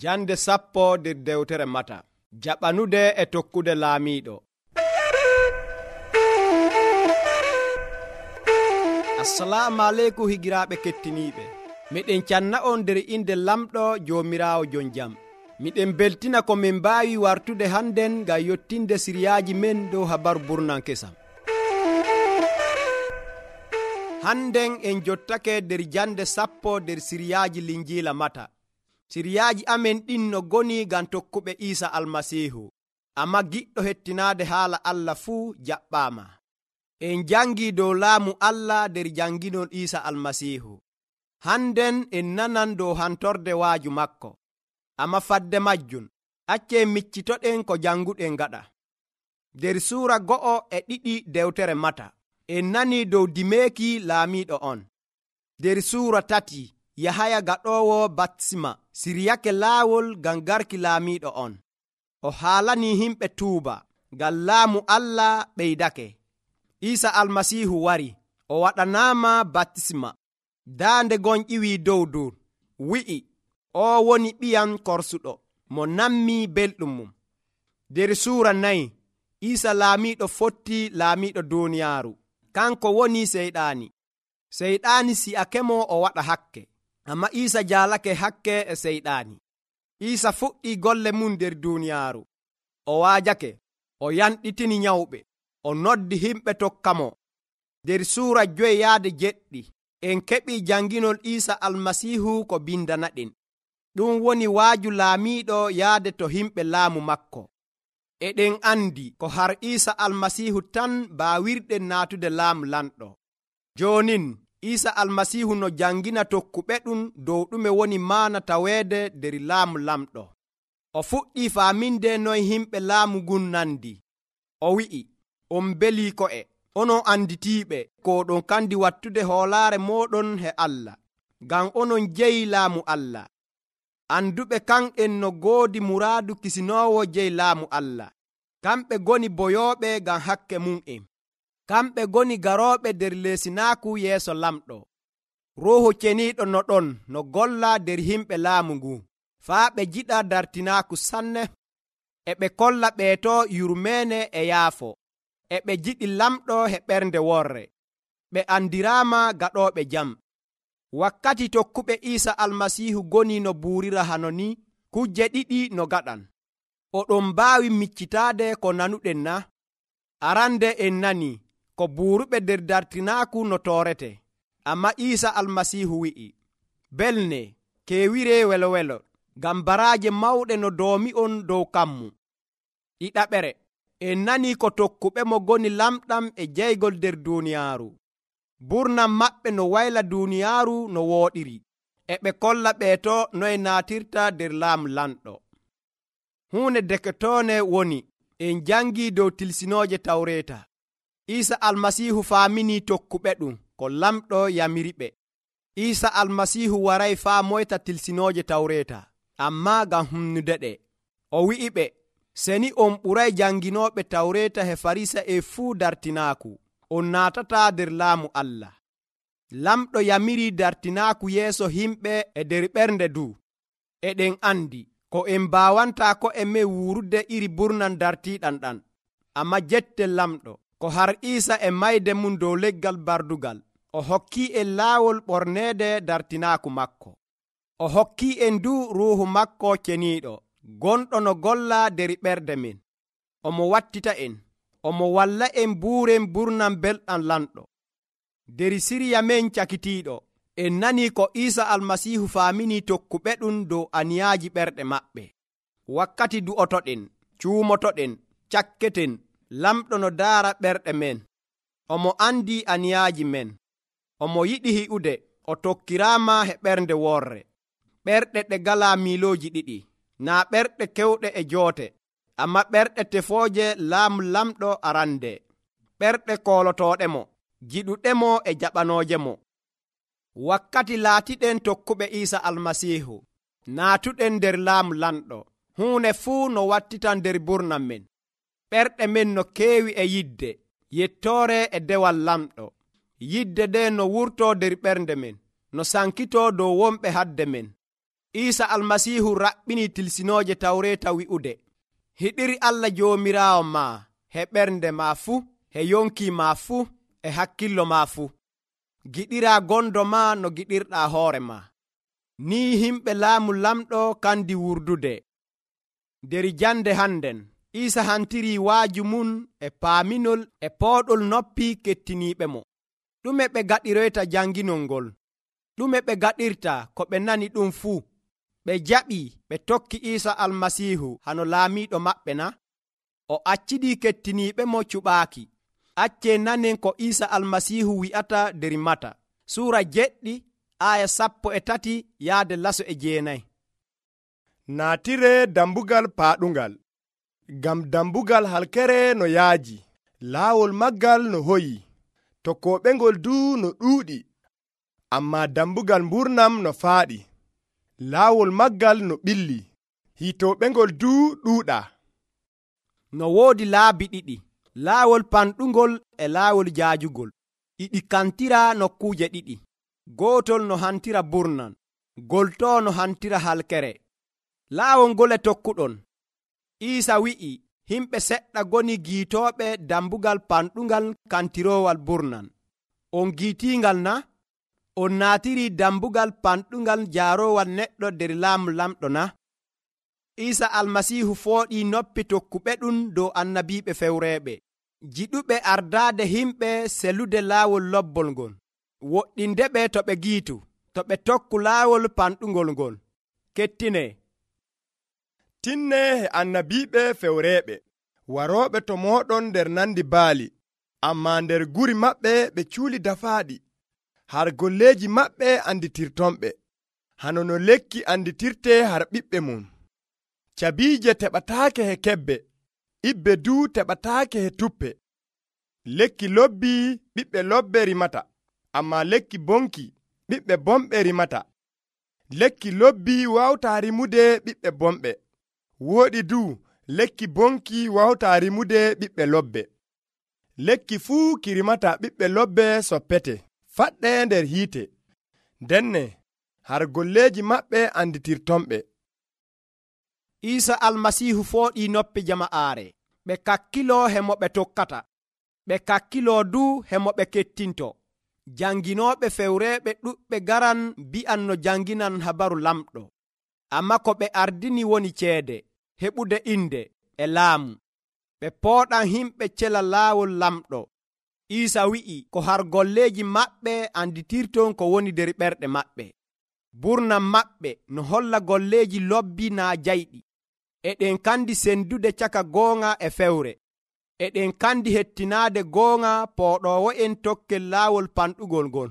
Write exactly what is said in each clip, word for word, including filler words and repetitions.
Jande sappo nder dewtere Mata. Jaɓanude e tokkude laamiiɗo. Assalamu aleykum higiraaɓe kettiniiɓe. Miɗen canna on nder inde lamɗo Joomiraawo jon jam. Miɗen beltina ko min mbaawi wartude hannden ngam yottinde siriyaaji men dow habaru burnan kesam. Hannden en jottake nder jande sappo nder siriyaaji linjiila Mata. Siriyaaji amen ɗin no goni ngam tokkuɓe Iisa Almasiihu, amma giɗɗo hettinaade haala Allah fuu jaɓɓaama. En jangii dow laamu Allah nder janginol Iisa Almasiihu. Hannden en nanan dow hantorde waaju makko, amma fadde majjum accen miccitoɗen ko janguɗen gaɗa. Nder suura go'o e ɗiɗi dewtere Mata, en nanii dow dimeeki laamiiɗo on. Nder suura tati, Yahaya gaɗoowo batisma siryake laawol ngam garki laamiiɗo on. O haalanii himɓe tuuba ngam laamu Allah ɓeydake. Iisa Almasiihu wari, o waɗanaama batisma. Daande gon ƴiwii dow dur, wi'i, o woni ɓiyam korsuɗo mo nammii belɗum mum. Nder suura nayi, Iisa laamiiɗo fotti laamiiɗo duuniyaaru. Kanko woni seyɗaani. Seyɗaani si'akemo o waɗa hakke, amma Iisa jaalake hakke e seyɗaani. Iisa fuɗɗii golle mum nder duuniyaaru. O waajake, o yanɗitini nyawɓe, o noddi himɓe tokkamo. Nder suura joyi yaade jeɗɗi, en keɓii janginol Iisa Almasiihu ko bindanaɗen. Ɗum woni waaju laamiiɗo yaade to himɓe laamu makko. Eɗen andi ko har Iisa Almasiihu tan baawirɗen naatude laamu lamɗo. Joonin Iisa Almasiihu no jangina tokkuɓe ɗum dow ɗume woni maana taweede nder laamu lamɗo. O fuɗɗii faaminde noy himɓe laamu ngun nandi. O wi'i, on belii ko'e, onon anditiiɓe ko ɗon kandi wattude hoolaare mooɗon he Allah, ngam onon jeyi laamu Allah. Anduɓe kan'en no goodi muraadu kisinoowo jeyi laamu Allah. Kamɓe goni boyooɓe ngam hakke mum'en. Kamɓe goni garooɓe nder leesinaaku yeeso lamɗo. Ruuhu ceniiɗo no ɗon no golla nder himɓe laamu ngu, faa ɓe jiɗa dartinaaku sanne. E ɓe kolla ɓeeto yurmeene e yaafo. E ɓe jiɗi lamɗo he ɓernde worre. Ɓe andiraama gaɗooɓe jam. Wakkati tokkuɓe Iisa Almasiihu goni no buurira hano ni, kujje ɗiɗi no gaɗan. Oɗon mbaawi miccitaade ko nanuɗen na? Arande en nani ko buuruɓe nder dartinaaku no toorete, amma Iisa Almasiihu wi'i, belne, keewire welo welo, ngam baraaje mawɗe no doomi'on dow kammu. Ɗiɗaɓere, en nani ko tokkuɓe mo goni lamɗam e jeygol nder duuniyaaru. Burnam maɓɓe no wayla duuniyaaru no wooɗiri, e ɓe kolla ɓeeto noye naatirta nder laamu lamɗo. Huunde deketoone woni, en jangii dow tilsinooje Tawreeta. Iisa Almasiihu faaminii tokkuɓe ɗum ko lamɗo yamiriɓe. Iisa Almasiihu waray faa moyta tilsinooje Tawreeta, ammaa ngam humnude ɗe. O wi'i ɓe, seni on ɓuray janginooɓe Tawreeta he Farisa e fuu dartinaaku, on naatataa nder laamu Allah. Lamɗo yamirii dartinaaku yeeso himɓe e nder ɓernde du. Eɗen andi ko en mbaawantaa ko e men wuurude iri burnan dartiiɗan ɗan, amma jettel lamɗo ko har Iisa e mayde mum dow leggal bardugal, o hokkii en laawol ɓorneede dartinaaku makko. O hokkii en du ruuhu makko ceniiɗo, gonɗo no golla nder ɓerde men. Omo wattita en, omo walla en buuren burnan belɗam lamɗo. Der siriya men cakitiiɗo, en nanii ko Iisa Almasiihu faaminii tokkuɓe ɗum dow aniyaaji ɓerɗe maɓɓe. Wakkati du'otoɗen, cuumotoɗen, cakketen, lamɗo no daara ɓerɗe men. Omo andi aniyaaji men. Omo yiɗi hi'ude, o tokkiraama he ɓernde worre. Ɓerɗe ɗe galaa miilooji ɗiɗi, naa ɓerɗe kewɗe e joote, amma ɓerɗe tefooje laamu lamɗo arande. Ɓerɗe koolotooɗemo, jiɗuɗemo e jaɓanoojemo. Wakkati laatiɗen tokkuɓe Iisa Almasiihu, naatuɗen nder laamu lamɗo, huune fuu no wattitan nder burnam men. Ɓerɗe men no keewi e yidde, yettoore e dewal lamɗo. Yidde nde no wurtoo nder ɓernde men, no sankitoo dow wonɓe hadde men. Iisa almasiihu raɓɓini tilsinooje tawreeta wi'ude, hiɗiri Allah joomiraawo ma he ɓernde ma fuu, he yonki ma fuu, e hakkillo ma fuu. Giɗiraa gondo ma no giɗirɗaa hoore ma. Ni himɓe laamu lamɗo kandi wurdude. Der jande hannden Iisa hantiri waaju mum e paaminol e pooɗol noppi kettiniiɓe mo. Ɗume ɓe gaɗiroyta janginol ngol? Ɗume ɓe gaɗirta ko ɓe nani ɗum fuu? Ɓe jaɓi ɓe tokki Iisa almasiihu hano laamiiɗo maɓɓe na? O accidii kettiniiɓe mo cuɓaaki. Accee nanen ko Iisa almasiihu wi'ata der Mata suura jeɗɗi aya sappo e tati yaade laso e jeenayi. Naatire dambugal paaɗungal. Ngam dambugal halkere no yaaji, laawol maggal no hoyi, tokkooɓengol duu no ɗuuɗi, ammaa dambugal mburnam no faaɗi, laawol maggal no ɓilli, hiitooɓengol duu ɗuuɗaa. No woodi laabi ɗiɗi, laawol panɗungol e laawol jaajugol, ɗiɗi kantira nokkuuje ɗiɗi. Gootol no hantira burnan, gol too no hantira halkere. Laawol ngol e tokkuɗon. Iisa wi'i himɓe seɗɗa goni giitooɓe dambugal panɗungal kantiroowal burnan. On giitiingal na? On naatiri dambugal panɗungal jaaroowal neɗɗo der laamu lamɗo na? Iisa almasiihu fooɗii noppi tokkuɓe ɗum dow annabiiɓe fewreeɓe, jiɗuɓe ardaade himɓe selude laawol lobbol ngol, woɗɗindeɓe to ɓe giitu, to ɓe tokku laawol panɗungol ngol. Kettine tinne he annabiiɓe fewreeɓe warooɓe to mooɗon nder nandi baali, ammaa nder guri maɓɓe ɓe cuuli dafaaɗi, har golleeji maɓɓe anditirtonɓe, hano no lekki anditirte har ɓiɓɓe mum. Cabiije teɓataake he kebbe, ibbe duu teɓataake he tuppe. Lekki lobbii ɓiɓɓe lobbe rimata, ammaa lekki bonki ɓiɓɓe bomɓe rimata. Lekki lobbii wawtaa rimude ɓiɓɓe bomɓe. Wooɗi duu lekki bonki wawtaa rimude ɓiɓɓe lobbe. Lekki fuu ki rimata ɓiɓɓe lobbe soppete, faɗɗe nder hiite. Denne har golleeji maɓɓe anditirtonɓe. Iisa almasiihu fooɗii noppi jama'aare, ɓe kakkiloo he mo ɓe tokkata, ɓe kakkiloo duu he mo ɓe kettinto. Janginooɓe fewreeɓe ɗuɓɓe garan bi'an no janginan habaru lamɗo, amma ko ɓe ardini woni ceede, heɓude inde e laamu. Ɓe pooɗan himɓe cela laawol lamɗo. Iisa wi'i ko har golleeji maɓɓe anditirton ko woni der ɓerɗe maɓɓe. Burnan maɓɓe no holla golleeji lobbi naa jayɗi. Eɗen kandi sendude caka goonga e fewre. Eɗen kandi hettinaade goonga pooɗoowo'en tokkel laawol panɗugol ngol.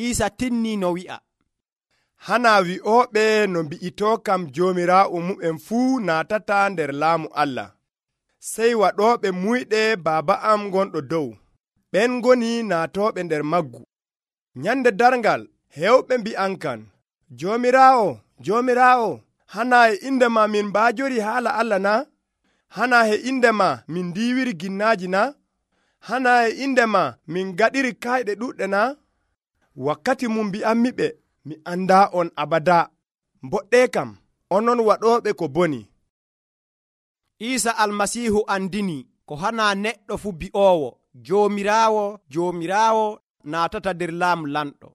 Iisa tinnii no wi'a, hanaa wi'ooɓe no mbi'itoo kam joomiraawo mu'en fuu naatata nder laamu Allah. Sey waɗooɓe muyɗe baaba am gonɗo dow, ɓen ngoni naatooɓe nder maggu. Nyande darngal heewɓe mbi'ankan, Joomiraawo, Joomiraawo, hanaa e inde ma min mbaajori haala Allah na? Hanaa e inde ma min ndiiwiri ginnaaji na? Hanaa e inde ma min gaɗiri kayɗe ɗuɗɗe na? Wakkati mum mbi'ammiɓe, mi andaa on abada. Mboɗɗe kam, onon waɗooɓe ko boni. Iisa almasiihu andini ko hanaa neɗɗo fu bi'oowo, Joomiraawo, Joomiraawo naatata nder laamu lamɗo.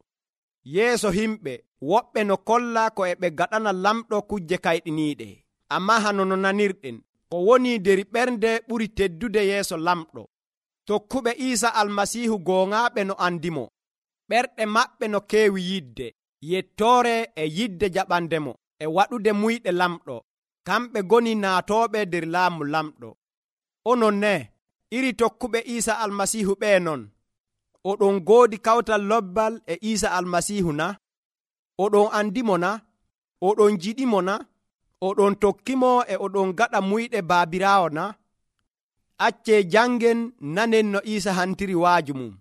Yeeso himɓe woɓɓe no kolla ko e ɓe gaɗana lamɗo kujje kayɗiniiɗe, ammaa hano no nanirɗen, ko woni der ɓernde ɓuri teddude yeeso lamɗo. Tokkuɓe Iisa almasiihu gooŋaaɓe no andimo, ɓerɗe maɓɓe no keewi yidde, yettoore e yidde jaɓandemo e waɗude muyɗe lamɗo. Kamɓe goni naatooɓe der laamu lamɗo. Onon ne, iri tokkuɓe Iisa almasiihu ɓee non, oɗon goodi kawtal lobbal e Iisa almasiihu na? Oɗon andimo na? Oɗon jiɗimo na? Oɗon tokkimo e oɗon gaɗa muyɗe baabiraawo na? Accee jangen nanen no Iisa hantiri waaju mum.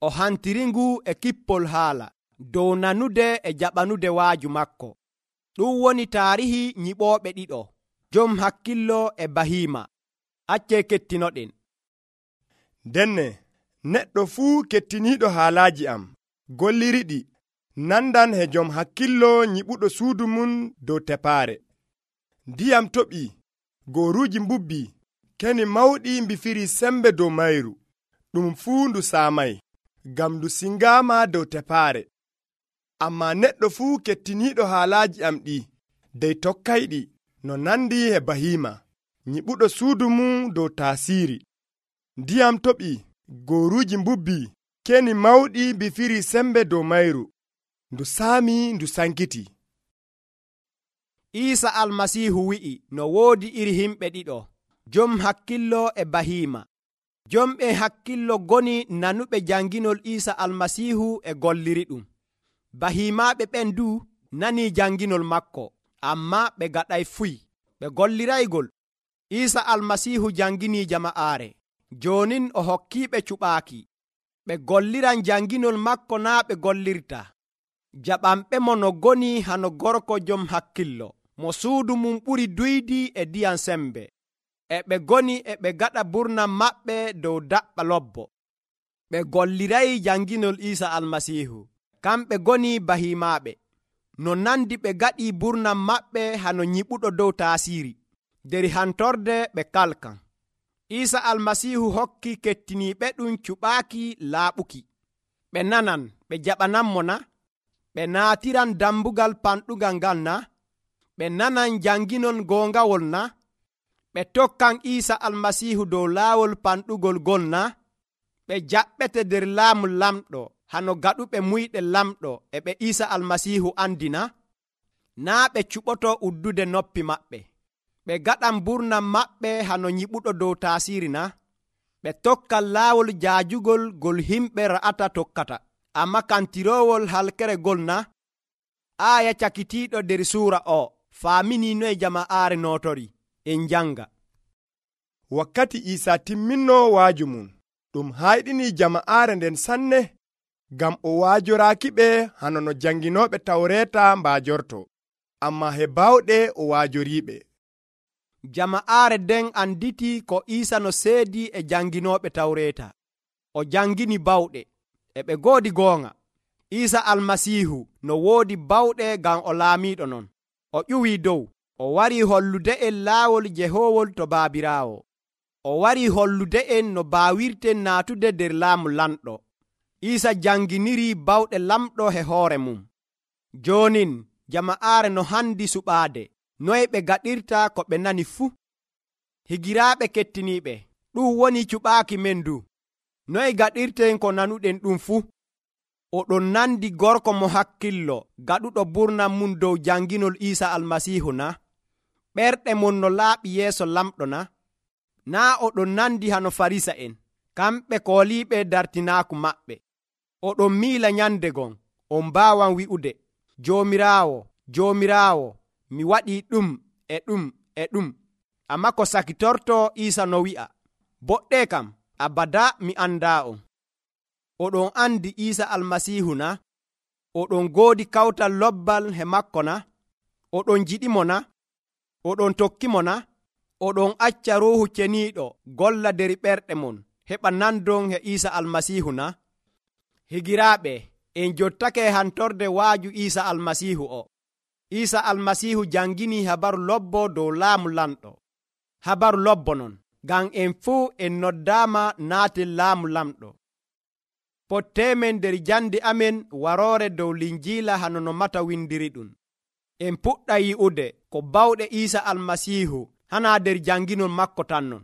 O hantiri ngu e kippol haala dow nanude e jaɓanude waaju makko. Ɗum woni taarihi nyiɓooɓe ɗiɗo, jom hakkillo e bahiima. Accee kettinoɗen. Denne neɗɗo fuu kettiniiɗo haalaaji am, golliriɗi, nandan he jom hakkillo nyiɓuɗo suudu mum dow tepaare. Ndiyam toɓi, gooruuji mbubbi, keni mawɗi mbifiri sembe dow mayru. Ɗum fuu ndu saamay, ngam ndu singaama dow tepaare. Ammaa neɗɗo fuu kettiniiɗo haalaaji am ɗi, dey tokkayɗi, no nandi he bahiima, nyiɓuɗo suudu mum dow taasiiri. Ndiyam toɓi, gooruuji mbubbi, keni mawɗi mbifiri sembe dow mayru. Ndu saami, ndu sankiti. Iisa almasiihu wi'i no woodi iri himɓe ɗiɗo, jom hakkillo e bahiima. Jomɓe hakkillo goni nanuɓe janginol Iisa almasiihu e golliri ɗum. Bahiimaaɓe ɓen du nanii janginol makko, ammaa ɓe gaɗay fuy, ɓe golliraygol. Iisa almasiihu janginii jama'aare, joonin o hokkiiɓe cuɓaaki. Ɓe golliran janginol makko naa ɓe gollirta. Jaɓanɓe mo no goni hano gorko jom hakkillo, mo suudu mum ɓuri duydi e ndiyam sembe. E ɓe goni e ɓe gaɗa burnam maɓɓe dow daɓɓa lobbo. Ɓe gollirayi janginol Iisa almasiihu. Kamɓe goni bahiimaaɓe, no nandi ɓe gaɗi burnam maɓɓe hano nyiɓuɗo dow taasiiri. Der hantorde ɓe kalkan. Iisa almasiihu hokki kettiniiɓe ɗum cuɓaaki laaɓuki. Ɓe nanan ɓe jaɓananmo na? Ɓe naatiran dambugal panɗugal ngal na? Ɓe nanan janginol goongawol na? Ɓe tokkan Iisa almasiihu dow laawol panɗugol gol na? Ɓe jaɓɓete der laamu lamɗo hano gaɗuɓe muyɗe lamɗo e ɓe Iisa almasiihu andina? Naa ɓe cuɓoto uddude noppi maɓɓe. Ɓe gaɗan burnam maɓɓe hano nyiɓuɗo dow taasiiri na? Ɓe tokkan laawol jaajugol gol himɓe ra'ata tokkata, amma kantiroowol halkere gol na? Aaya cakitiiɗo der suura o faaminii noye jama'aare nootori. En janga. Wakkati Iisa timminno waaju mum, ɗum hayɗini jama'aare nden sanne, ngam o waajoraaki ɓe hano no janginooɓe tawreeta mbaajorto, amma he baawɗe o waajoriiɓe. Jama'aare den anditi ko Iisa no seedi e janginooɓe tawreeta. O jangini bawɗe, e ɓe goodi goonga. Iisa almasiihu no woodi bawɗe ngam o laamiiɗo non. O ƴuwii dow. O warii hollude en laawol jehoowol to Baabiraawo. O warii hollude en no baawirten naatude der laamu lamɗo. Iisa janginirii bawɗe lamɗo he hoore mum. Joonin jama'aare no handi suɓaade, noye ɓe gaɗirta ko ɓe nani fuu. Higiraaɓe kettiniiɓe, ɗum woni cuɓaaki men du. Noye gaɗirten ko nanuɗen ɗum fuu. Oɗon nandi gorko mo hakkillo gaɗuɗo burnam mum dow janginol Iisa almasiihu na? Ɓerɗe mon no laaɓi yeeso lamɗo na? Naa oɗon nandi hano Farisa en, kamɓe kooliiɓe dartinaaku maɓɓe. Oɗon miila nyande gon, on mbaawan wi'ude, Joomiraawo, Joomiraawo, mi waɗii ɗum e ɗum e ɗum. Amma ko sakitorto Iisa no wi'a, boɗɗe kam, abada mi andaa on. Oɗon andi Iisa almasiihu na? Oɗon goodi kawtal lobbal he makko na? Oɗon jiɗimo na? Oɗon tokkimo na? Oɗon acca Ruuhu Ceniiɗo golla der ɓerɗe mon heɓa nandon he Iisa almasiihu na? Higiraaɓe, en jottake hantorde waaju Iisa almasiihu o. Iisa almasiihu jangini habaru lobbo dow laamu lamɗo. Habaru lobbo non, ngam en fuu en noddaama naaten laamu lamɗo. Pottemen der jande amen waroore dow linjiila hano no mata windiri ɗum. En puɗɗa yi'ude ko bawɗe Iisa almasiihu hana der janginol makko tan non.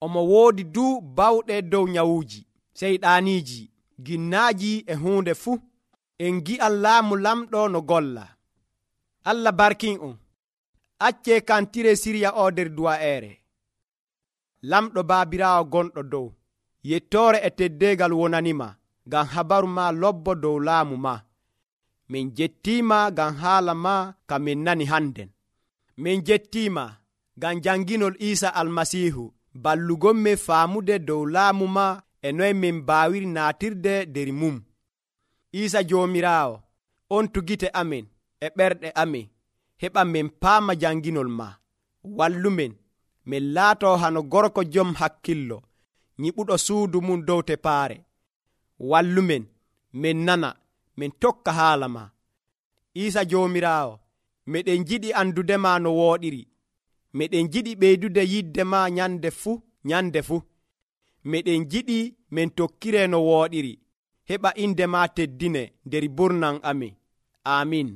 Omo woodi du bawɗe dow nyawuuji, seyɗaaniiji, ginnaaji e huunde fuu. En gi'an laamu lamɗo no golla. Allah barkin on. Acce kantire siriya o der duwa'eere. Lamɗo Baabiraawo gonɗo dow, yettoore e teddeegal wonanima, ngam habaru ma lobbo dow laamu ma. Min jettiima ngam haala ma ka min nani hannden. Min jettiima ngam janginol Iisa almasiihu ballugonme faamude dow laamu ma e noye min baawiri naatirde der mum. Iisa Joomiraawo, on tugite amin e ɓerɗe amin, heɓa min paama janginol ma. Wallumen, min laato hano gorko jom hakkillo, nyiɓuɗo suudu mum dow tepaare. Wallumen, min nana, min tokka haala ma. Iisa Joomiraawo, meɗen jiɗi andudema no wooɗiri. Meɗen jiɗi ɓeydude yidde ma nyande fuu nyande fuu. Meɗen jiɗi min tokkire no wooɗiri. Heɓa inde ma teddine nder burnan amin. Amin.